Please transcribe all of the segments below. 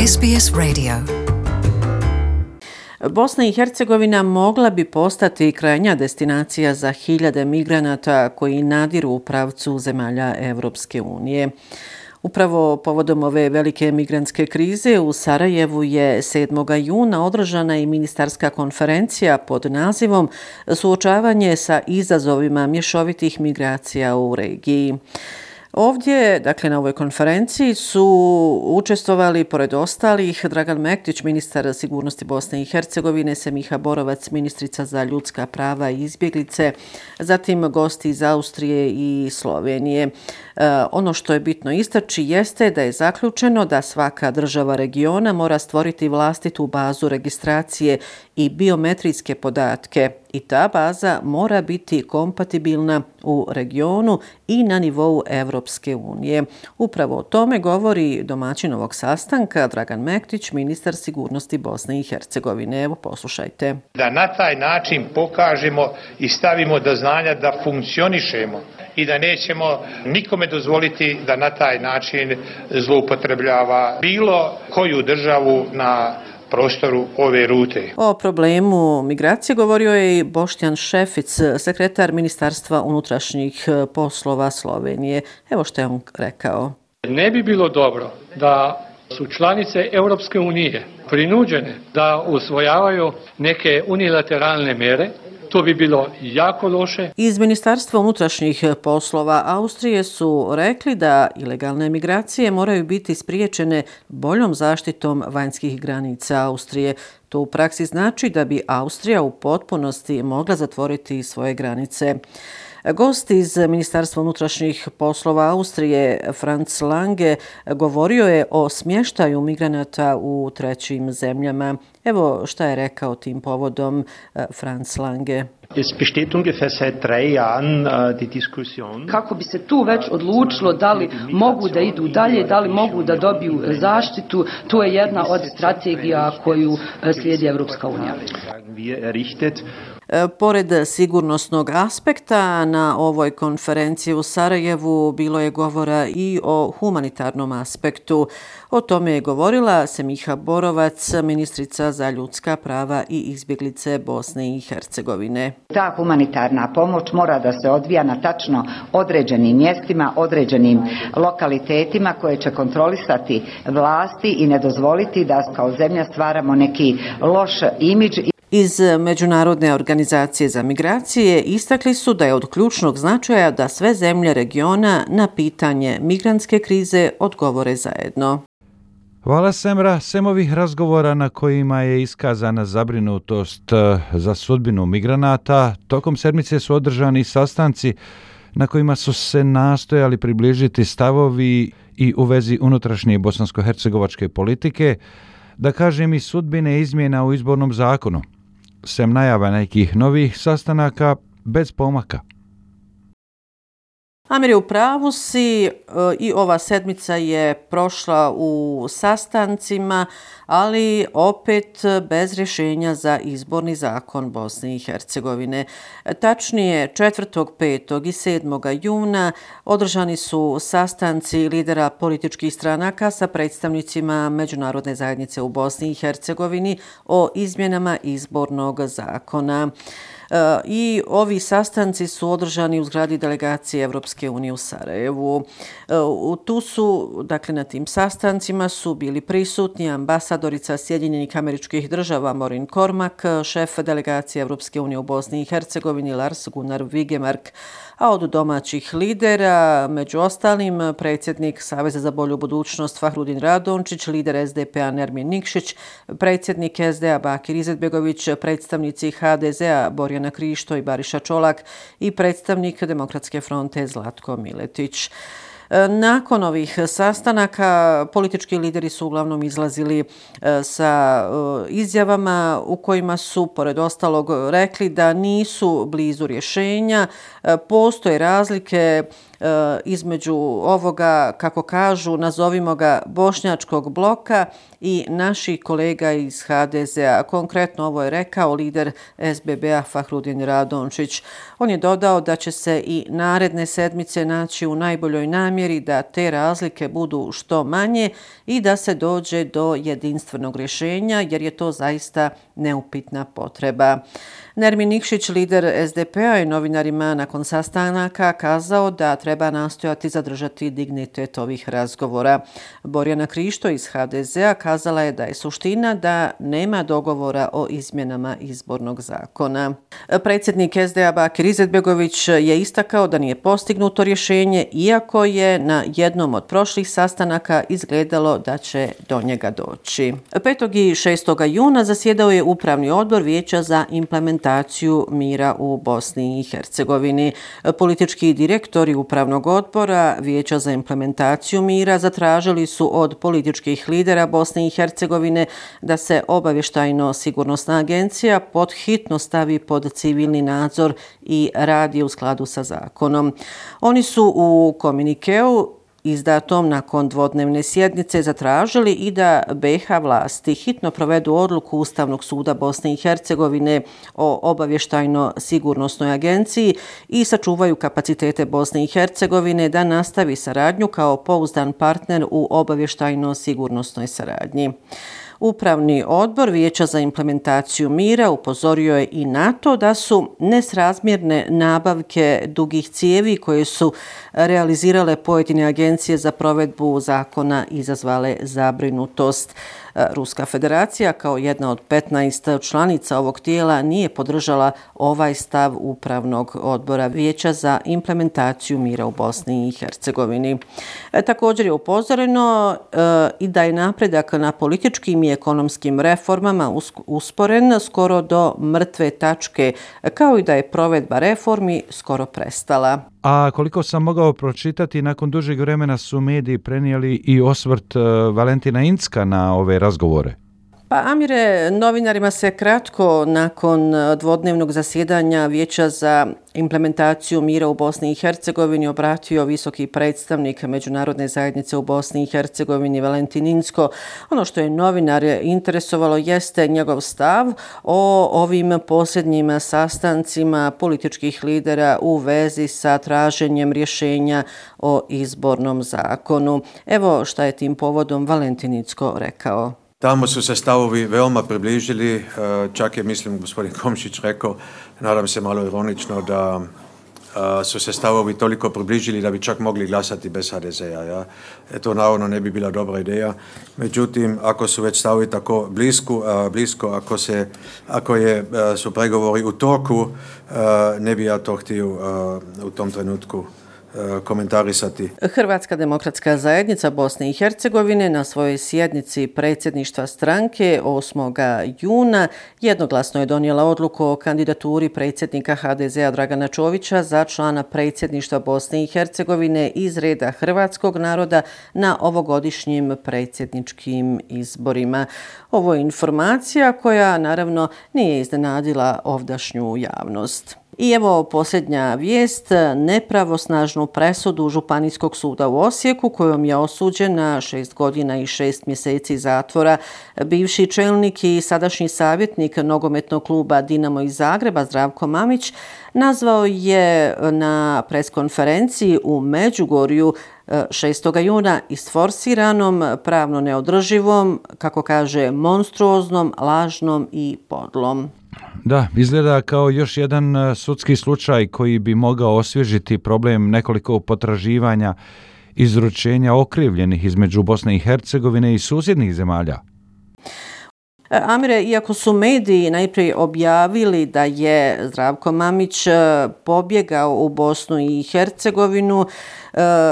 SBS Radio. Bosna i Hercegovina mogla bi postati krajnja destinacija za hiljade migranata koji nadiru u pravcu zemalja Evropske unije. Upravo povodom ove velike migrantske krize u Sarajevu je 7. juna održana i ministarska konferencija pod nazivom Suočavanje sa izazovima mješovitih migracija u regiji. Ovdje, dakle na ovoj konferenciji su učestvovali pored ostalih Dragan Mektić, ministar sigurnosti Bosne i Hercegovine, Semiha Borovac, ministrica za ljudska prava i izbjeglice, zatim gosti iz Austrije i Slovenije. Ono što je bitno istaći jeste da je zaključeno da svaka država regiona mora stvoriti vlastitu bazu registracije i biometrijske podatke i ta baza mora biti kompatibilna u regionu i na nivou Evropske unije. Upravo o tome govori domaćin ovog sastanka Dragan Mektić, ministar sigurnosti Bosne i Hercegovine. Evo, poslušajte. Da na taj način pokažemo i stavimo do znanja da funkcionišemo i da nećemo nikome dozvoliti da na taj način zloupotrebljava bilo koju državu na prostoru ove rute. O problemu migracije govorio je i Boštjan Šefic, sekretar Ministarstva unutrašnjih poslova Slovenije. Evo što je on rekao. Ne bi bilo dobro da su članice Europske unije prinuđene da usvojavaju neke unilateralne mere. To bi bilo jako loše. Iz Ministarstva unutrašnjih poslova Austrije su rekli da ilegalne migracije moraju biti spriječene boljom zaštitom vanjskih granica Austrije. To u praksi znači da bi Austrija u potpunosti mogla zatvoriti svoje granice. Gost iz Ministarstva unutrašnjih poslova Austrije, Franz Lange, govorio je o smještaju migranata u trećim zemljama. Evo šta je rekao tim povodom Franz Lange. Kako bi se tu već odlučilo da li mogu da idu dalje, da li mogu da dobiju zaštitu, to je jedna od strategija koju slijedi Evropska unija. Pored sigurnosnog aspekta, na ovoj konferenciji u Sarajevu bilo je govora i o humanitarnom aspektu. O tome je govorila Semiha Borovac, ministrica za ljudska prava i izbjeglice Bosne i Hercegovine. Ta humanitarna pomoć mora da se odvija na tačno određenim mjestima, određenim lokalitetima koje će kontrolisati vlasti i ne dozvoliti da kao zemlja stvaramo neki loš imidž. Iz Međunarodne organizacije za migracije istakli su da je od ključnog značaja da sve zemlje regiona na pitanje migrantske krize odgovore zajedno. Hvala Semra. Sem ovih razgovora na kojima je iskazana zabrinutost za sudbinu migranata, tokom sedmice su održani sastanci na kojima su se nastojali približiti stavovi i u vezi unutrašnje bosansko-hercegovačke politike, da kažem i sudbine izmjena u izbornom zakonu. Sem najava nekih novih sastanaka bez pomaka. Amir, u pravu si, i ova sedmica je prošla u sastancima, ali opet bez rješenja za izborni zakon Bosne i Hercegovine. Tačnije, 4., 5. i 7. juna održani su sastanci lidera političkih stranaka sa predstavnicima Međunarodne zajednice u Bosni i Hercegovini o izmjenama izbornog zakona. I ovi sastanci su održani u zgradi delegacije Evropske unije u Sarajevu. Tu su, dakle na tim sastancima su bili prisutni ambasadorica Sjedinjenih Američkih Država Maureen Cormack, šef delegacije Evropske unije u Bosni i Hercegovini Lars Gunnar Vigemark, a od domaćih lidera, među ostalim, predsjednik Saveza za bolju budućnost Fahrudin Radončić, lider SDP-a Nermin Nikšić, predsjednik SDA Bakir Izetbegović, predstavnici HDZ-a Borjana Krišto i Bariša Čolak i predstavnik Demokratske fronte Zlatko Miletić. Nakon ovih sastanaka politički lideri su uglavnom izlazili sa izjavama u kojima su, pored ostalog, rekli da nisu blizu rješenja, postoje razlike između ovoga, kako kažu, nazovimo ga bošnjačkog bloka i naših kolega iz HDZ-a. Konkretno ovo je rekao lider SBB-a Fahrudin Radončić. On je dodao da će se i naredne sedmice naći u najboljoj namjeri da te razlike budu što manje i da se dođe do jedinstvenog rješenja, jer je to zaista neupitna potreba. Nermin Nikšić, lider SDP-a, je novinarima nakon sastanaka kazao da treba nastojati zadržati dignitet ovih razgovora. Borjana Krišto iz HDZ-a kazala je da je suština da nema dogovora o izmjenama izbornog zakona. Predsjednik SDA Bakir Izetbegović je istakao da nije postignuto rješenje, iako je na jednom od prošlih sastanaka izgledalo da će do njega doći. 5. i 6. juna zasjedao je Upravni odbor Vijeća za implementaciju mira u Bosni i Hercegovini. Politički direktori Upravnog odbora Vijeća za implementaciju mira zatražili su od političkih lidera Bosne i Hercegovine da se obavještajno-sigurnosna agencija pod hitno stavi pod civilni nadzor i radi u skladu sa zakonom. Oni su u komunikeu izdatom nakon dvodnevne sjednice zatražili i da BiH vlasti hitno provedu odluku Ustavnog suda Bosne i Hercegovine o obavještajno-sigurnosnoj agenciji i sačuvaju kapacitete Bosne i Hercegovine da nastavi saradnju kao pouzdan partner u obavještajno-sigurnosnoj saradnji. Upravni odbor Vijeća za implementaciju mira upozorio je i na to da su nesrazmjerne nabavke dugih cijevi koje su realizirale pojedine agencije za provedbu zakona izazvale zabrinutost. Ruska federacija kao jedna od 15 članica ovog tijela nije podržala ovaj stav Upravnog odbora Vijeća za implementaciju mira u Bosni i Hercegovini. Također je upozoreno i da je napredak na političkim i ekonomskim reformama usporen skoro do mrtve tačke, kao i da je provedba reformi skoro prestala. A koliko sam mogao pročitati, nakon dužeg vremena su mediji prenijeli i osvrt Valentina Incka na ove razgovore. Pa Amire, novinarima se kratko nakon dvodnevnog zasjedanja Vijeća za implementaciju mira u Bosni i Hercegovini obratio visoki predstavnik Međunarodne zajednice u Bosni i Hercegovini Valentin Incko. Ono što je novinare interesovalo jeste njegov stav o ovim posljednjim sastancima političkih lidera u vezi sa traženjem rješenja o izbornom zakonu. Evo šta je tim povodom Valentin Incko rekao. Tamo su se stavovi veoma približili, čak je, mislim, gospodin Komšić rekao, nadam se malo ironično, da su se stavovi toliko približili da bi čak mogli glasati bez HDZ-a. Ja? To naravno ne bi bila dobra ideja. Međutim, ako su već stavovi tako blisko, ako su pregovori u toku, ne bi ja to htio u tom trenutku komentarisati. Hrvatska demokratska zajednica Bosne i Hercegovine na svojoj sjednici predsjedništva stranke 8. juna jednoglasno je donijela odluku o kandidaturi predsjednika HDZ-a Dragana Čovića za člana predsjedništva Bosne i Hercegovine iz reda hrvatskog naroda na ovogodišnjim predsjedničkim izborima. Ovo je informacija koja naravno nije iznenadila ovdašnju javnost. I evo posljednja vijest, nepravosnažnu presudu Županijskog suda u Osijeku kojom je osuđen na 6 godina i 6 mjeseci zatvora bivši čelnik i sadašnji savjetnik nogometnog kluba Dinamo iz Zagreba Zdravko Mamić nazvao je na preskonferenciji u Međugorju 6. juna isforsiranom, pravno neodrživom, kako kaže, monstruoznom, lažnom i podlom. Da, izgleda kao još jedan sudski slučaj koji bi mogao osvježiti problem nekoliko potraživanja izručenja okrivljenih između Bosne i Hercegovine i susjednih zemalja. Amire, iako su mediji najprije objavili da je Zdravko Mamić pobjegao u Bosnu i Hercegovinu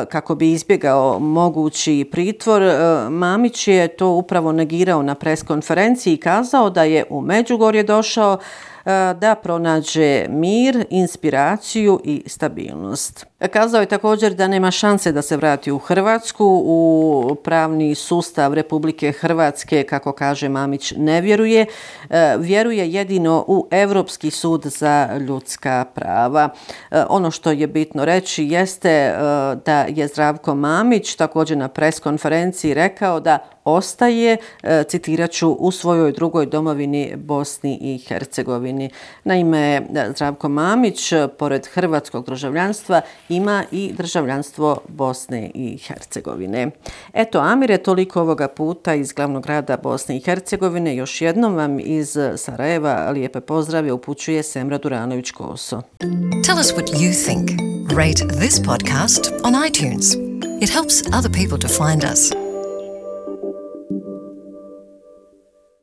kako bi izbjegao mogući pritvor, Mamić je to upravo negirao na preskonferenciji i kazao da je u Međugorje došao da pronađe mir, inspiraciju i stabilnost. Kazao je također da nema šanse da se vrati u Hrvatsku, u pravni sustav Republike Hrvatske, kako kaže Mamić, ne vjeruje. Vjeruje jedino u Europski sud za ljudska prava. Ono što je bitno reći jeste da je Zdravko Mamić također na preskonferenciji rekao da ostaje, citirat ću, u svojoj drugoj domovini Bosni i Hercegovini. Naime, Zdravko Mamić, pored hrvatskog državljanstva, ima i državljanstvo Bosne i Hercegovine. Eto, Amire, toliko ovoga puta iz glavnog grada Bosne i Hercegovine. Još jednom vam iz Sarajeva lijepe pozdrave upućuje Semra Duranović-Koso. Tell us what you think. Rate this podcast on iTunes. It helps other people to find us.